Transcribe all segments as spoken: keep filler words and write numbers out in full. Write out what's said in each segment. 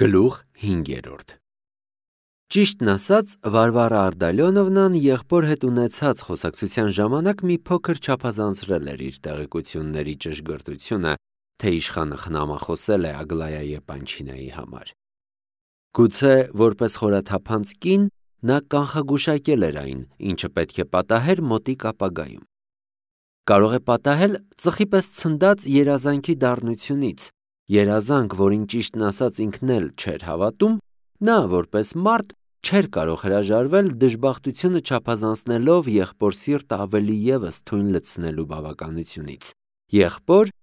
Գլուխ հինգերորդ Ճիշտն ասած, Վարվարա Արդալյոնովնան եղբոր հետ ունեցած խոսակցության ժամանակ մի փոքր չափազանցրել էր իր տեղեկությունների ճշգրտությունը, թե իշխանը խնամախոսել է Ագլայա Եպանչինայի համար։ Գուցե որպես խորաթափանց կին նա կանխագուշակել էր այն, ինչը պետք է պատահեր մոտիկ ապագայում։ Կարող է պատահել ծխի պես ցնդած երազանքի դառնությունից, երազանք, որին ճիշտն ասած ինքն էլ չէր հավատում, նա որպես մարդ չէր կարող հրաժարվել դժբախտությունը չափազանցնելով եղբոր սիրտը ավելի ևս թույն լցնելու բավականությունից, եղբոր,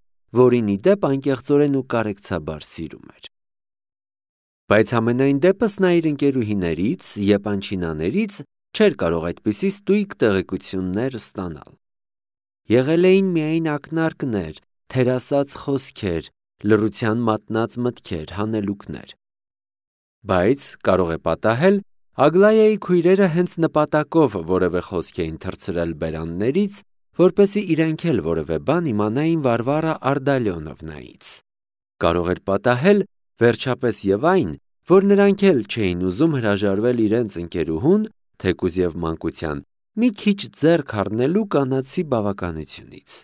որին ի դեպ անկեղծորեն ու կարեկցաբար սիրում էր։ Բայց ամենայն դեպս նա իր ընկերուհիներից, Եպանչինաներից չէր կարող այդպիսի ստույգ տեղեկություններ ստանալ։ Եղել էին միայն ակնարկներ, թերասած խոսքեր, լռության մատնած մտքեր, հանելուկներ։ Բայց կարող է պատահել Ագլայայի քույրերը հենց նպատակով որևէ խոսք էին թռցրել բերաններից, որպեսզի իրենք էլ որևէ բան իմանային Վարվարա Արդալյոնովնայից։ Կարող էր պատահել վերջապես եւ այն, որ նրանք էլ չէին ուզում հրաժարվել իրենց ընկերուհուն, թեկուզ եւ մանկության, մի քիչ ձեռք առնելու կանացի բավականությունից։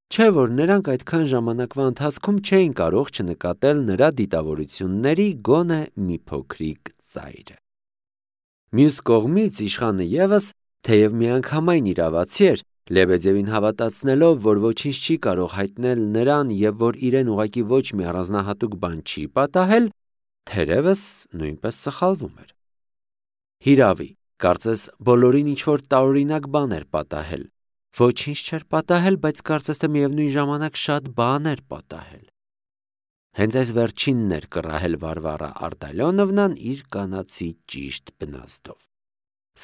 Չէ՞ որ նրանք այդքան ժամանակվա ընթացքում չէին կարող չնկատել նրա դիտավորությունների գոնե մի փոքրիկ ծայրը։ Մյուս կողմից իշխանը ևս, թեև միանգամայն իրավացի էր, Լեբեդևին հավատացնելով, որ ոչինչ չի կարող հայտնել նրան եւ որ իրեն ուղղակի ոչ մի առանձնահատուկ բան չի պատահել, թերևս նույնպես սխալվում էր։ Հիրավի, կարծես բոլորին ինչ-որ տարօրինակ բան էր պատահել։ Ոչինչ չէր պատահել, բայց կարծես թե միևնույն ժամանակ շատ բան էր պատահել։ Հենց այս վերջինն էր կռահել Վարվարա Արդալյոնովնան իր կանացի ճիշտ բնազդով։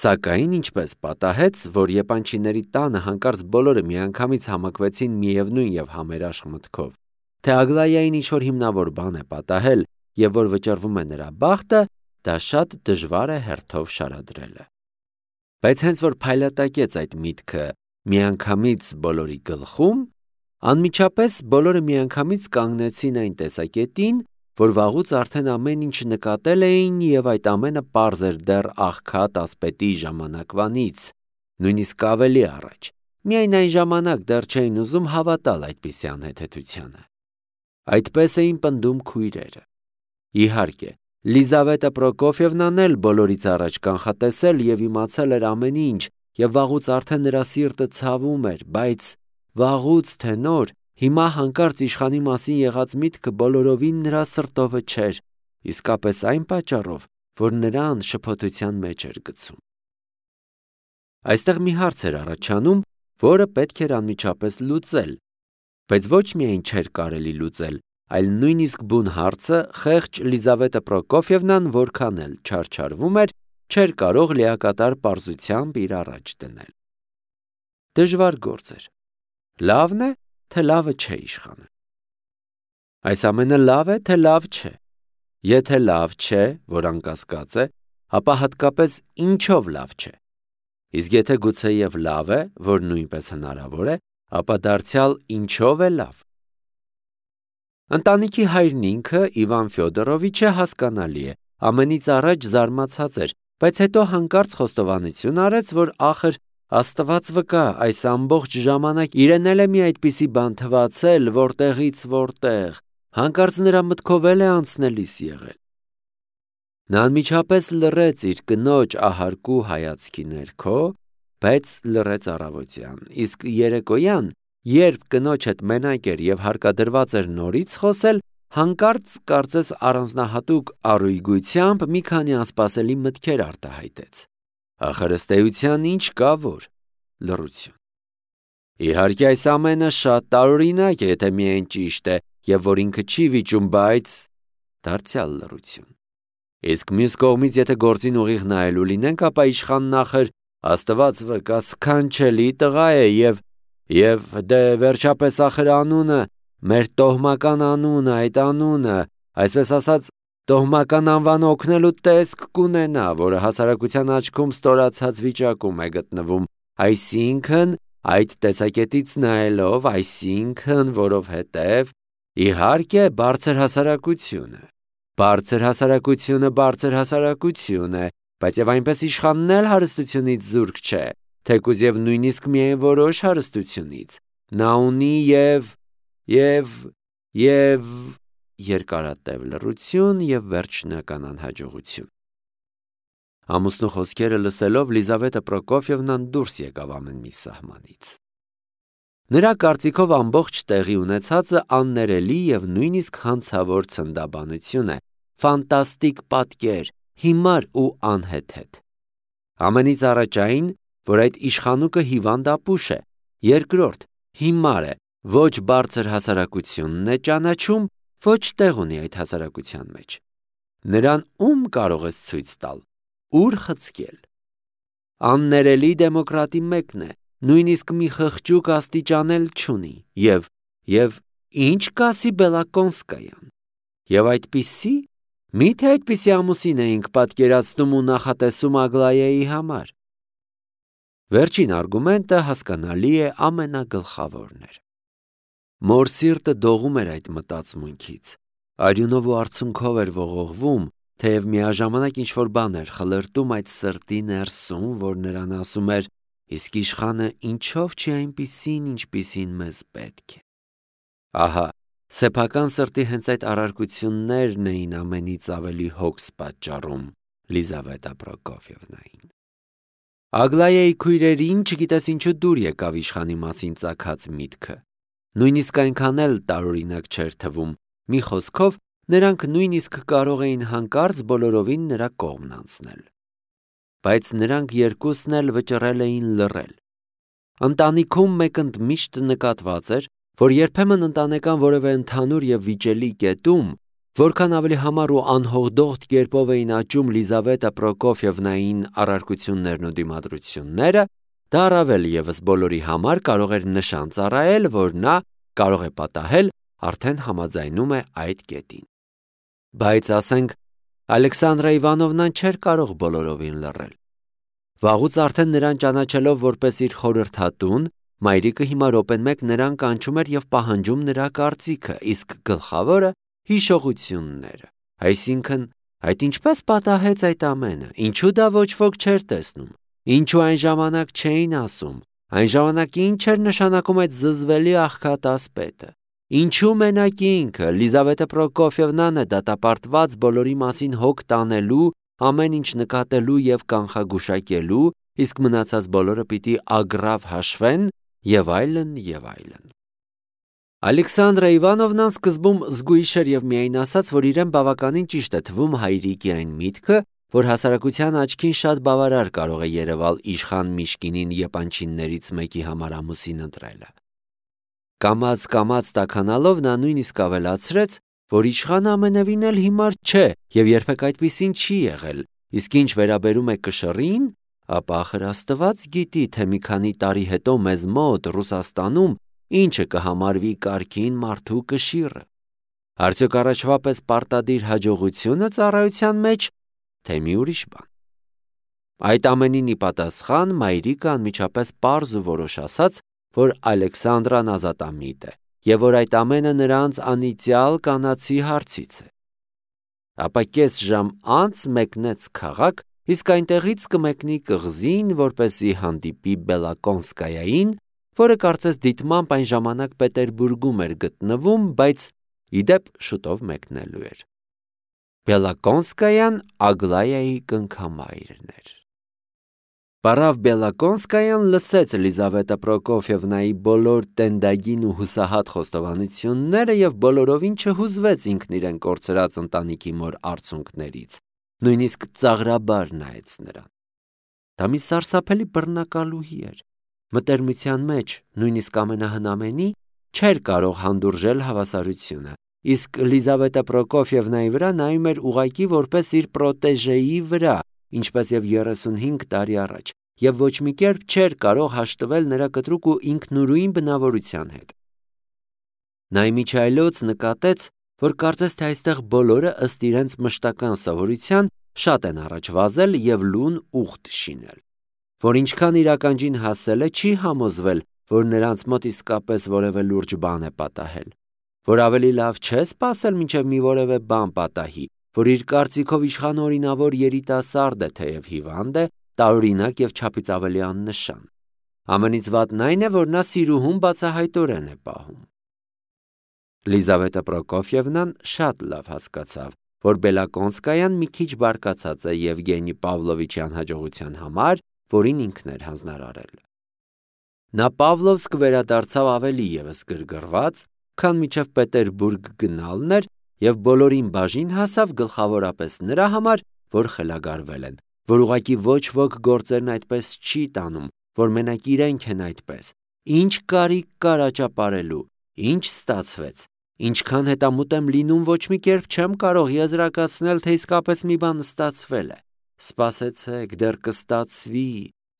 Սակայն ինչպես պատահեց, որ Եպանչիների տանը հանկարծ բոլորը միանգամից համակվեցին միևնույն եւ համերաշխ մտքով, թե Ագլայային ինչ-որ հիմնավոր բան է պատահել եւ որ վճռվում է նրա բախտը, դա շատ դժվար է հերթով շարադրելը։ Բայց հենց որ փայլատակեց այդ միտքը միանգամից բոլորի գլխում, անմիջապես բոլորը միանգամից կանգնեցին այն տեսակետին, որ վաղուց արդեն ամեն ինչ նկատել էին եւ այդ ամենը պարզ էր դեռ աղքատ ասպետի ժամանակվանից, նույնիսկ ավելի առաջ, միայն այն ժամանակ դեռ չէին ուզում հավատալ այդպիսի անհեթեթությանը։ Այդպես էին պնդում քույրերը։ Իհարկե, Լիզավետա Պրոկոֆիևնան էլ բոլորից առաջ կանխատեսել եւ իմացել էր ամեն ինչ եւ վաղուց արդեն նրա սիրտը ցավում էր, բայց վաղուց թե նոր հիմա հանկարծ իշխանի մասին եղած միտքը բոլորովին նրա սրտովը չէր, իսկապես այն պատճառով, որ նրան շփոթության մեջ էր գցում։ Այստեղ մի հարց էր առաջանում, որը պետք էր անմիջապես լուծել, բայց ոչ միայն չէր կարելի լուծել, այլ նույնիսկ բուն հարցը խեղճ Լիզավետա Պրոկոֆիևնան որքան էլ չարչարվում էր, չէր կարող լիակատար պարզությամբ իր առաջ դնել։ Դժվար գործ էր։ Լավն է, թե լավը չէ իշխանը։ Այս ամենը լավ է, թե լավ չէ։ Եթե լավ չէ, որ անկասկած է, ապա հատկապես ինչով լավ չէ։ Իսկ եթե գուցեև լավ է, որ նույնպես հնարավոր է, ապա դարձյալ ինչով է լավ։ Ընտանիքի հայրն ինքը Իվան Ֆյոդորովիչը հասկանալի է, ամենից առաջ զարմացած էր, բայց հետո հանկարծ խոստովանություն արեց, որ ախր Աստված վկա, այս ամբողջ ժամանակ իրեն էլ է մի այդպիսի բան թվացել, որտեղից որտեղ, հանկարծ նրա մտքով էլ է անցնելիս եղել։ Նա անմիջապես լռեց իր կնոջ ահարկու հայացքի ներքո, բայց լռեց առավոտյան, իսկ երեկոյան, երբ կնոջ հետ մենակ էր եւ հարկադրված էր նորից խոսել, հանկարծ կարծես առանձնահատուկ առույգությամբ մի քանի անսպասելի մտքեր արտահայտեց։ Ախր ըստ էության ինչ կա որ լռություն։ Իհարկե այս ամենը շատ տարօրինակ է, եթե միայն ճիշտ է եւ որ ինքը չի վիճում, բայց դարձյալ լռություն։ Իսկ մյուս կողմից եթե գործին ուղիղ նայելու լինենք, ապա իշխանն ախր Աստված վկա սքանչելի տղա է եւ եւ դե վերջապես ախր անունը, մեր տոհմական անունը, այդ անունը, այսպես ասած տոհմական անվանը օգնելու տեսք կունենա, որը հասարակության աչքում ստորացած վիճակում է գտնվում, այսինքն այդ տեսակետից նայելով, այսինքն որովհետև իհարկե բարձր հասարակությունը, Բարձր հասարակությունը բարձր հասարակություն է, բայց եւ այնպես իշխանն էլ հարստությունից զուրկ չէ, թեկուզ եւ նույնիսկ միայն որոշ հարստությունից։ Նա ունի եւ եւ եւ երկարատև լռություն եւ վերջնական անհաջողություն։ Ամուսնու խոսքերը լսելով Լիզավետա Պրոկոֆիևնան դուրս եկավ ամեն մի սահմանից։ Նրա կարծիքով ամբողջ տեղի ունեցածը աններելի եւ նույնիսկ հանցավոր ցնդաբանություն է, ֆանտաստիկ պատկեր, հիմար ու անհեթեթ։ Ամենից առաջ այն, որ այդ իշխանուկը հիվանդ ապուշ է, երկրորդ, հիմար է, ոչ բարձր հասարակությունն է ճանաչում, ոչ տեղ ունի այդ հասարակության մեջ։ Նրան ում կարող ես ցույց տալ, ուր խցկել։ Աններելի դեմոկրատի մեկն է, նույնիսկ մի խղճուկ աստիճանել չունի, եւ եւ ինչ կասի Բելակոնսկայան։ Եվ այդպիսի, միթե այդպիսի ամուսին էինք պատկերացնում ու նախատեսում Ագլայայի համար։ Վերջին արգումենտը հասկանալի է ամենագլխավորն էր։ Մոր սիրտը դողում էր այդ մտածմունքից, արյունով ու արցունքով էր ողողվում, թեև միաժամանակ ինչ-որ բան էր խլրտում այդ սրտի ներսում, որ նրան ասում էր, իսկ իշխանը ինչով չի այնպիսին, ինչպիսին մեզ պետք է։ Ահա, սեփական սրտի հենց այդ առարկություններն էին ամենից ավելի հոգս պատճառում Լիզավետա Պրոկոֆիևնային։ Ագլայայի քույրերին չգիտես ինչու դուր եկավ իշխանի մասին ծագած միտքը։ Նույնիսկ այնքան էլ տարօրինակ չէր թվում, մի խոսքով նրանք նույնիսկ կարող էին հանկարծ բոլորովին նրա կողմն անցնել։ Բայց նրանք երկուսն էլ վճռել էին լռել։ Ընտանիքում մեկընդմիշտ նկատված էր, որ երբեմն ընտանեկան որևէ ընդհանուր եւ վիճելի կետում, որքան ավելի համառ ու անհողդողդ կերպով էին աճում Լիզավետա Պրոկոֆիևնային առարկություններն ու դիմադրությունները, դա առավել եւս բոլորի համար կարող էր նշան ծառայել, որ նա կարող է պատահել արդեն համաձայնում է այդ կետին։ Բայց ասենք Ալեքսանդրա Իվանովնան չէր կարող բոլորովին լռել։ Վաղուց արդեն նրան ճանաչելով որպես իր խորհրդատուն, մայրիկը հիմա րոպեն մեկ նրան կանչում էր եւ պահանջում նրա կարծիքը, իսկ գլխավորը հիշողությունները։ Այսինքն, այդ ինչպես պատահեց այդ ամենը, ինչու դա ոչ ոք չէր տեսնում, ինչու այն ժամանակ չէին ասում, այն ժամանակ ինչ էր նշանակում այդ զզվելի աղքատասպետը, ինչու մենակ ինքը Լիզավետա Պրոկոֆիևնան է դատապարտված բոլորի մասին հոգ տանելու, ամեն ինչ նկատելու եւ կանխագուշակելու, իսկ մնացած բոլորը պիտի ագրավ հաշվեն եւ այլն եւ այլն։ Ալեքսանդրա Իվանովնան սկզբում զգույշ էր եւ միայն ասաց, որ իրեն բավականին ճիշտ է թվում հայրիկի այն միտքը, որ հասարակության աչքին շատ բավարար կարող է երևալ իշխան Միշկինին եպանչիններից մեկի համար ամուսին ընտրելը։ Կամաց-կամաց տաքանալով նա նույնիսկ ավելացրեց, որ իշխանը ամենևին էլ հիմար չէ եւ երբեք այդպիսին չի եղել, իսկ ինչ վերաբերում է կշռին, ապա ախր Աստված գիտի, թե մի քանի տարի հետո մեզ մոտ Ռուսաստանում ինչը կհամարվի կարգին մարդու կշիռը։ Արդյոք առաջվա պես պարտադիր հաջողությունը ծառայության մեջ, թե մի ուրիշ բան։ Այդ ամենին ի պատասխան մայրիկը անմիջապես պարզ ու որոշ ասաց, որ Ալեքսանդրան ազատամիտ է եւ որ այդ ամենը նրանց անիծյալ կանացի հարցից է։ Ապա կես ժամ անց մեկնեց քաղաք, իսկ այնտեղից կմեկնի կղզին, որպեսզի հանդիպի Բելակոնսկայային, որը կարծես դիտմամբ այն ժամանակ Պետերբուրգում էր գտնվում, բայց ի դեպ շուտով մեկնելու էր։ Բելակոնսկայան Ագլայայի կնքամայրն էր։ Պարավ Բելակոնսկայան լսեց Լիզավետա Պրոկոֆիևնայի բոլոր տենդագին ու հուսահատ խոստովանությունները եւ բոլորովին չհուզվեց ինքն իրեն կորցրած ընտանիքի մոր արցունքներից, նույնիսկ ծաղրաբար նայեց նրան։ Դա մի սարսափելի բռնակալուհի էր, մտերմության մեջ, նույնիսկ ամենահնամենի, չէր կարող հանդուրժել հավասարությունը, իսկ Լիզավետա Պրոկոֆիևնայի վրա նայում էր ուղղակի որպես իր պրոտեժեի վրա, ինչպես եւ երեսունհինգ տարի առաջ, եւ ոչ մի կերպ չէր կարող հաշտվել նրա կտրուկ ու ինքնուրույն բնավորության հետ։ Նա իմիջայլոց նկատեց, որ կարծես թե այստեղ բոլորը ըստ իրենց մշտական սովորության շատ են առաջ վազել եւ լուն ուխտ շինել, որ ինչքան իր ականջին հասել է, չի համոզվել, որ նրանց մոտ իսկապես որևէ լուրջ բան է պատահել, որ ավելի լավ չէ սպասել մինչև մի որևէ բան պատահի, որ իր կարծիքով իշխանը օրինավոր երիտասարդ է, թեև հիվանդ է, տարօրինակ և չափից ավելի աննշան։ Ամենից վատն այն է, որ նա սիրուհուն բացահայտորեն է պահում։ Լիզավետա Պրոկոֆիևնան շատ լավ հասկացավ, որ Բելակոնսկայան մի քիչ բարկացած է Եվգենի Պավլովիչի անհաջողության համար, որին ինքն էր հանձնարարել։ Նա Պավլովսկ վերադարձավ ավելի ևս գրգռված, քան մինչև Պետերբուրգ գնալն էր, և բոլորին բաժին հասավ գլխավորապես նրա համար, որ խելագարվել են, որ ուղղակի ոչ ոք գործերն այդպես չի տանում, որ մենակ իրենք են այդպես, ինչ կարիք կար աճապարելու, ինչ ստացվեց, ինչքան հետամուտ եմ լինում, ոչ մի կերպ չեմ կարող եզրակացնել, թե իսկապես մի բան ստացվել է, սպասեցեք, դեռ կստացվի,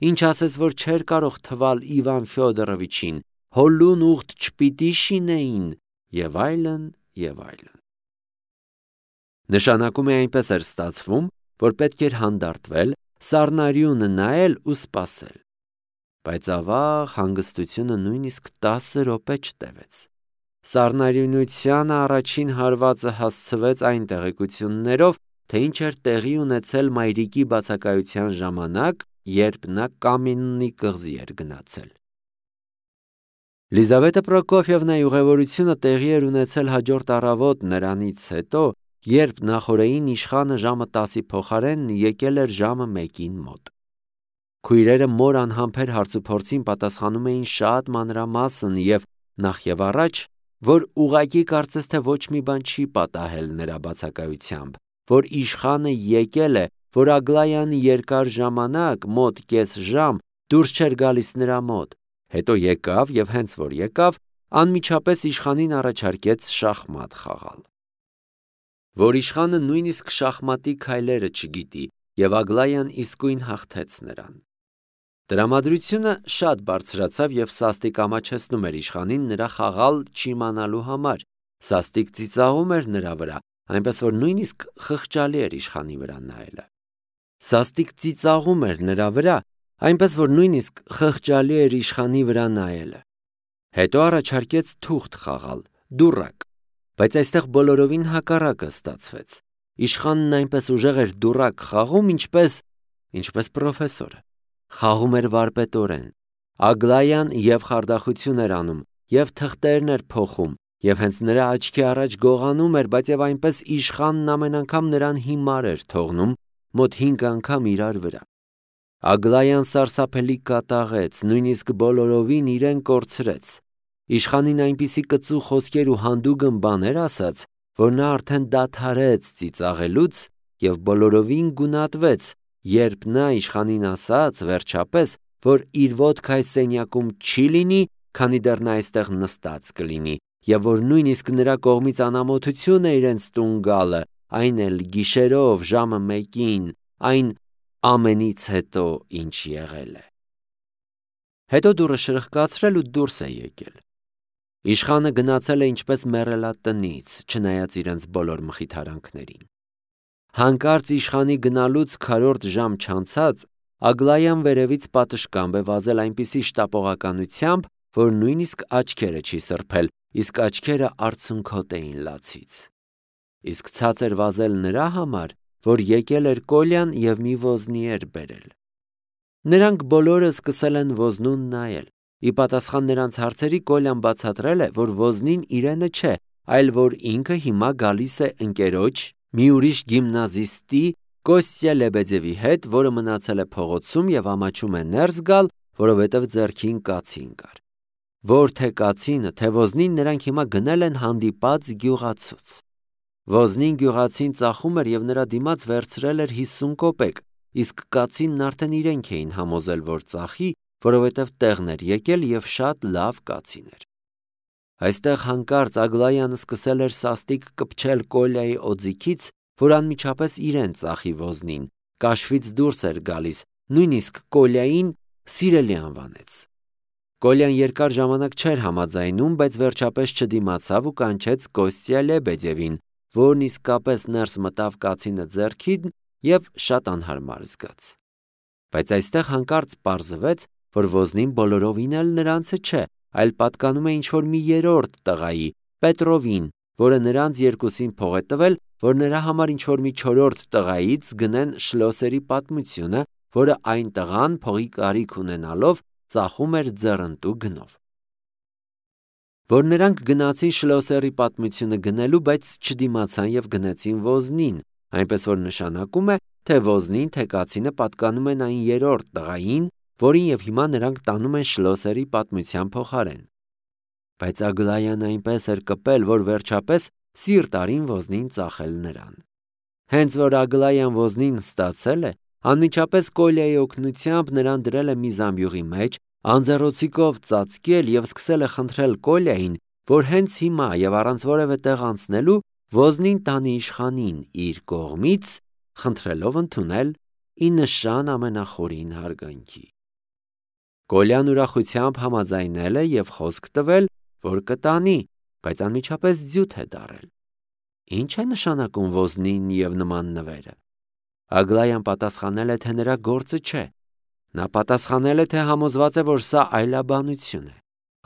ինչ ասես, որ չէր կարող թվալ Իվան Ֆյոդորովիչին, հոլուն ուղտ չպիտի շինեին, և այլն, և այլն։ Նշանակում է այնպես էր ստացվում, որ պետք էր հանդարտվել, սառնարյունը նայել ու սպասել։ Բայց ավաղ հանգստությունը նույնիսկ տասը րոպե չտևեց։ Սառնարյունությանը առաջին հարվածը հասցվեց այն տեղեկություններով, թե ինչ էր տեղի ունեցել մայրիկի բացակայության ժամանակ, երբ նա Կամեննի կղզի էր գնացել։ Լիզավետա Պրոկոֆիևնայի ուղևորությունը տեղի էր ունեցել հաջորդ առավոտ նրանից հետո, երբ նախօրեին իշխանը ժամը տասի փոխարեն եկել էր ժամը մեկին մոտ։ Քույրերը մոր անհամբեր հարցուփորձին պատասխանում էին շատ մանրամասն և նախ և առաջ, որ ուղղակի կարծես թե ոչ մի բան չի պատահել նրա բացակայությամբ, որ իշխանը եկել է, որ Ագլայան երկար ժամանակ, մոտ կես ժամ, դուրս չէր գալիս նրա մոտ, հետո եկավ և հենց որ եկավ, անմիջապես իշխանին առաջարկեց շախմատ խաղալ։ Որ իշխանը նույնիսկ շախմատի քայլերը չգիտի, և Ագլայան իսկույն հաղթեց նրան։ Տրամադրությունը շատ բարձրացավ և սաստիկ ամաչեցնում էր իշխանին նրա խաղալ չիմանալու համար, սաստիկ ծիծաղում էր նրա վրա, այնպես որ նույնիսկ խղճալի էր իշխանի վրա նայելը։ Սաստիկ ծիծաղում էր նրա վրա, այնպես որ նույնիսկ խղճալի էր իշխանի վրա նայելը։ Հետո առաջարկեց թուղթ խաղալ, դուռակ, բայց այստեղ բոլորովին հակառակը ստացվեց։ Իշխանն այնպես ուժեղ էր դուռակ խաղում, ինչպես, ինչպես պրոֆեսորը։ Խաղում էր վարպետորեն։ Ագլայան և խարդախություն էր անում, և թղթերն էր փոխում, և հենց նրա աչքի առաջ գողանում էր, բայց և այնպես իշխանն ամեն անգամ նրան հիմար էր թողնում, մոտ հինգ անգամ իրար վրա։ Ագլայան սարսափելի կատաղեց, նույնիսկ բոլորովին իրեն կորցրեց։ Իշխանին այնպիսի կծու խոսքեր ու հանդուգն բաներ ասաց, որ նա արդեն դադարեց ծիծաղելուց և բոլորովին գունատվեց, երբ նա իշխանին ասաց, վերջապես, որ իր ոտքը այս սենյակում չի լինի, քանի դեռ նա այստեղ նստած կլինի, և որ նույնիսկ նրա կողմից անամոթություն է իրենց տուն գալը, այն էլ գիշերով ժամը մեկին, այն ամենից հետո, ինչ եղել է։ Հետո դուռը շրխկացրել ու դուրս է եկել։ Իշխանը գնացել է ինչպես մեռելատնից, չնայած իրենց բոլոր մխիթարանքներին։ Հանկարծ իշխանի գնալուց քառորդ ժամ չանցած, Ագլայան վերևից պատշգամբ է վազել այնպիսի շտապողականությամբ, որ նույնիսկ աչքերը չի սրբել, իսկ աչքերը արցունքոտ էին լացից։ Իսկ ցած էր վազել նրա համար, որ եկել էր Կոլյան և մի ոզնի էր բերել։ Նրանք բոլորը սկսել են ոզնուն նայել։ Ի պատասխան նրանց հարցերի Կոլյան բացատրել է, որ ոզնին իրենը չէ, այլ որ ինքը հիմա գալիս է ընկերոջ, մի ուրիշ գիմնազիստի Կոստյա Լեբեդևի հետ, որը մնացել է փողոցում և ամաչում է ներս գալ, որովհետև ձեռքին կացին կար։ Որ թե կացինը, թե ոզնին նրանք հիմա գնել են հանդիպած գյուղացուց։ Ոզնին գյուղացին ծախում էր և նրա դիմաց վերցրել էր հիսուն կոպեկ, իսկ կացինն արդեն իրենք էին համոզել, որ ծախի, որովհետև տեղն էր եկել և շատ լավ կացին էր։ Այստեղ հանկարծ Ագլայանը սկսել էր սաստիկ կպչել Կոլյայի օձիքից, որ անմիջապես իրեն ծախի ոզնին, կաշվից դուրս էր գալիս, նույնիսկ Կոլյային սիրելի անվանեց։ Կոլյան երկար ժամանակ չէր համաձայնում, բայց վերջապես չդիմացավ ու կանչեց Կոստյա Լեբեդևին, որն իսկապես ներս մտավ կացինը ձեռքին և շատ անհարմար զգաց։ Բայց այստեղ հանկարծ պարզվեց, որ ոզնին բոլորովին էլ նրանցը չէ, այլ պատկանում է ինչ-որ մի երրորդ տղայի, Պետրովին, որը նրանց երկուսին փող է տվել, որ նրա համար ինչ-որ մի չորրորդ տղայից գնեն Շլոսերի պատմությունը, որը այն տղան փողի կարիք ունենալով ծախում էր ձեռնտու գնով։ Որ նրանք գնացին Շլոսերի պատմությունը գնելու, բայց չդիմացան եւ գնացին Ոզնին, այնպես որ նշանակում է, թե Ոզնին թե կացինը պատկանում են այն երրորդ տղային, որին եւ հիմա նրանք տանում են Շլոսերի պատմության փոխարեն։ Բայց Ագլայան այնպես էր կպել, որ վերջապես սիրտ արին Ոզնին ծախել նրան։ Հենց որ Ագլայան Ոզնին ստացել է, անմիջապես Կոլյայի օգնությամբ նրան դրել է մի զամբյուղի մեջ, անձեռոցիկով ծածկել եւ սկսել է խնդրել Կոլյային, որ հենց հիմա եւ առանց որևէ տեղ անցնելու Ոզնին տանի իշխանին իր կողմից, խնդրելով ընդունել ի նշան ամենախորին հարգանքի։ Կոլյան ուրախությամբ համաձայնել է եւ խոսք տվել, որ կտանի, բայց անմիջապես ձյութ է դարել։ Ինչ է նշանակում Ոզնին եւ նման նվերը։ Ագլայան պատասխանել է, թե նրա գործը չէ։ Նա պատասխանել է, թե համոզված է, որ սա այլաբանություն է։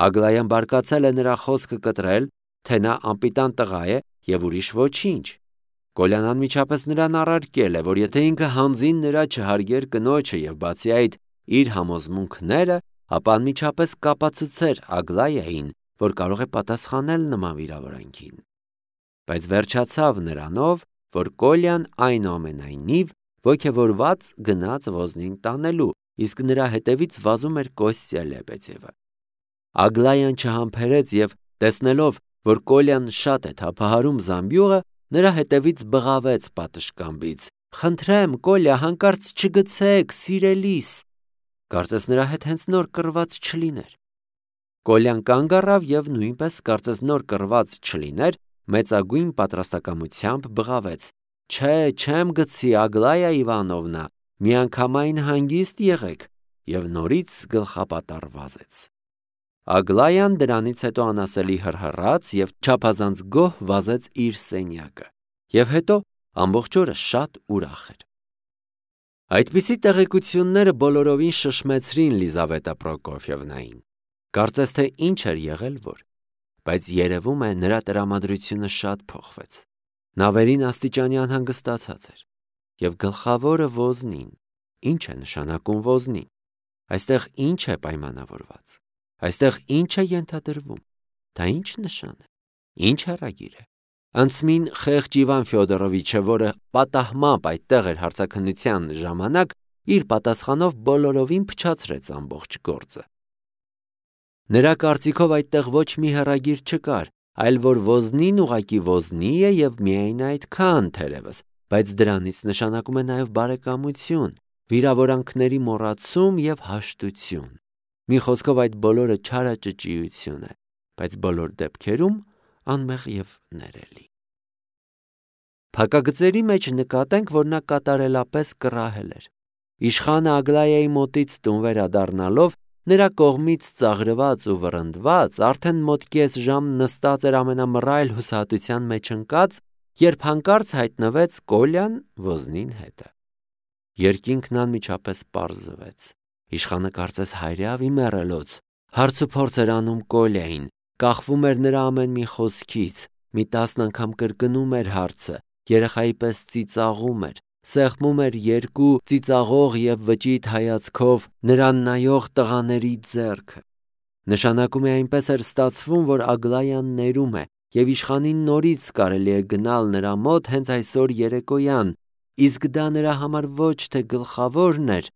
Ագլայան բարկացել է նրա խոսքը կտրել, թե նա անպիտան տղա է եւ ուրիշ ոչինչ։ Կոլյան անմիջապես նրան առարկել է, որ եթե ինքը հանձին նրա չհարգեր կնոջը եւ բացի այդ իր համոզմունքները, ապա անմիջապես կապացուցեր Ագլայային, որ կարող է պատասխանել նման վիրավորանքին։ Բայց վերջացավ նրանով, որ Կոլյան այնուամենայնիվ ոգևորված գնաց Ոզնին տանելու, իսկ նրա հետևից վազում էր Կոստյա Լեբեդևը։ Ագլայան չհամբերեց եւ տեսնելով, որ Կոլյան շատ է թափահարում զամբյուղը, նրա հետևից բղավեց պատշգամբից. «Խնդրեմ, Կոլյա, հանկարծ չգցեք, սիրելիս»։ Կարծես նրա հետ հենց նոր կռված չլիներ։ Կոլյան կանգ առավ եւ նույնպես կարծես նոր կռված չլիներ, մեծագույն պատրաստակամությամբ բղավեց. «Չէ, չեմ գցի, Ագլայա Իվանովնա, միանգամայն հանգիստ եղեք» եւ նորից գլխապատառ վազեց։ Ագլայան դրանից հետո անասելի հռհռաց եւ չափազանց գոհ վազեց իր սենյակը, եւ հետո ամբողջ օրը շատ ուրախ էր։ Այդպիսի տեղեկությունները բոլորովին շշմեցրին Լիզավետա Պրոկոֆյևնային։ Կարծես թե ինչ էր եղել որ, բայց երևում է նրա տրամադրությունը շատ փոխվեց։ Նա վերին աստիճանի անհանգստացած էր, եւ գլխավորը Ոզնին։ Ինչ է նշանակում Ոզնին։ Այստեղ ինչ է պայմանավորված։ Այստեղ ինչ է ենթադրվում։ Դա ինչ նշան է։ Ինչ հեռագիր է։ Անցմին խեղճ Իվան Ֆյոդորովիչը, որը պատահմամբ այդտեղ էր հարցաքննության ժամանակ, իր պատասխանով բոլորովին փչացրեց ամբողջ գործը։ Նրա կարծիքով այդտեղ ոչ մի հեռագիր չկար, այլ որ Ոզնին ուղակի Ոզնի է եւ միայն այդքան թերևս, բայց դրանից նշանակում է նաեւ բարեկամություն, վիրավորանքների մոռացում եւ հաշտություն։ Մի խոսքով այդ բոլորը չարաճճիություն է, բայց բոլոր դեպքերում անմեղ եւ ներելի։ Փակագծերի մեջ նկատենք, որ նա կատարելապես կռահել էր։ Իշխանը Ագլայայի մոտից տուն վերադառնալով, նրա կողմից ծաղրված ու վռնդված, արդեն մոտ կես ժամ նստած էր ամենամռայլ հուսահատության մեջ ընկած, երբ հանկարծ հայտնվեց Կոլյան Ոզնին հետը։ Երկինքն անմիջապես պարզվեց։ Իշխանը կարծես հայրավի մեռելոց, հարցուփորձ էր անում Կոլյային, կախվում էր նրա ամեն մի խոսքից, մի տասն անգամ կրկնում էր հարցը, երեխայի պես ծիծաղում էր, սեղմում էր երկու ծիծաղող եւ վճիտ հայացքով նրան նայող տղաների ձեռքը։ Նշանակում է այնպես էր ստացվում, որ Ագլայան ներում է եւ իշխանին նորից կարելի է գնալ նրա մոտ հենց այսօր երեկոյան, իսկ դա նրա համար ոչ թե գլխավորն էր,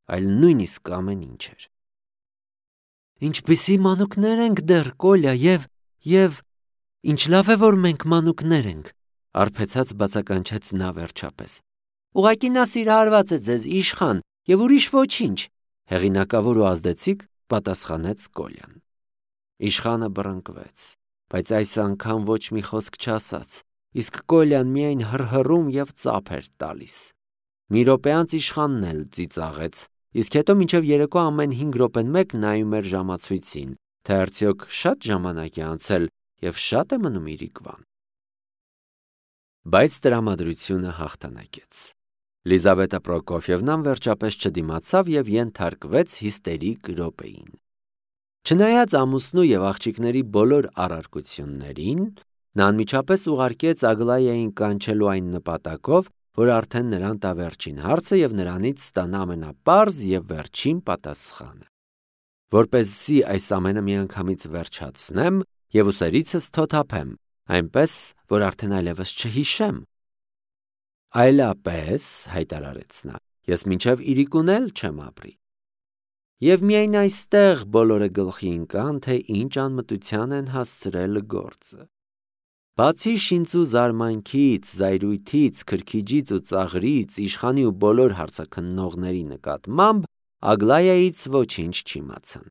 այլ նույնիսկ ամեն ինչ էր։ Ինչպիսի մանուկներ ենք դեռ, Կոլյա, եւ եւ ինչ լավ է, որ մենք մանուկներ ենք, արբեցած բացականչեց նա վերջապես։ Ուղղակի նա սիրահարված է ձեզ, իշխան, եւ ուրիշ ոչինչ, հեղինակավոր ու ազդեցիկ պատասխանեց Կոլյան։ Իշխանը բռնկվեց, բայց այս անգամ ոչ մի խոսք չասաց, իսկ Կոլյան միայն հռհռում եւ ծափ էր տալիս։ Մի րոպե անց իշխանն էլ ծիծաղեց, իսկ հետո մինչև երեկո ամեն հինգ րոպեն մեկ նայում էր ժամացույցին, թե արդյոք շատ ժամանակ է անցել եւ շատ է մնում իրիկվան։ Բայց տրամադրությունը հաղթանակեց։ Լիզավետա Պրոկոֆյևնան վերջապես չդիմացավ եւ ենթարկվեց հիստերիկ րոպեին։ Չնայած ամուսնու եւ աղջիկների բոլոր առարկություններին, Նա անմիջապես ուղարկեց Ագլայային կանչելու այն նպատակով, որ արդեն նրան տա վերջին հարցը և նրանից ստանա ամենապարզ և վերջին պատասխանը։ Որպեսզի այս ամենը միանգամից վերջացնեմ և ուսերիցս թոթափեմ, այնպես, որ արդեն այլևս չհիշեմ։ Այլապես, հայտարարեց նա, ես մինչև իրիկուն էլ չեմ ապրի։ Եվ միայն այստեղ բոլորը գլխի ընկան, թե ինչ անմտության են հասցրել գործը։ Բացի շինծու զարմանքից, զայրույթից, քրքիջից ու ծաղրից, իշխանի ու բոլոր հարցաքննողների նկատմամբ, Ագլայայից ոչինչ չիմացան։